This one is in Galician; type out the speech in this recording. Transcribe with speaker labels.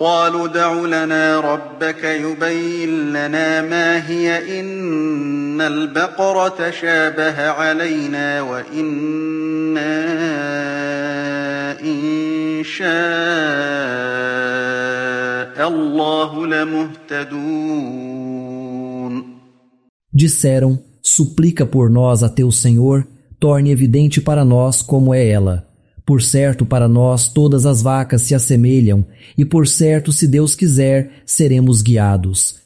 Speaker 1: قالوا ادْعُ لَنَا رَبَّكَ يُبَيِّن لَّنَا مَا هِيَ إِنَّ الْبَقَرَ تَشَابَهَ عَلَيْنَا وَإِنَّا إِن شَاءَ اللَّهُ لَمُهْتَدُونَ.
Speaker 2: Disseram: suplica por nós a teu Senhor, torne evidente para nós como é ela. Por certo, para nós todas as vacas se assemelham, e por certo, se Deus quiser, seremos guiados.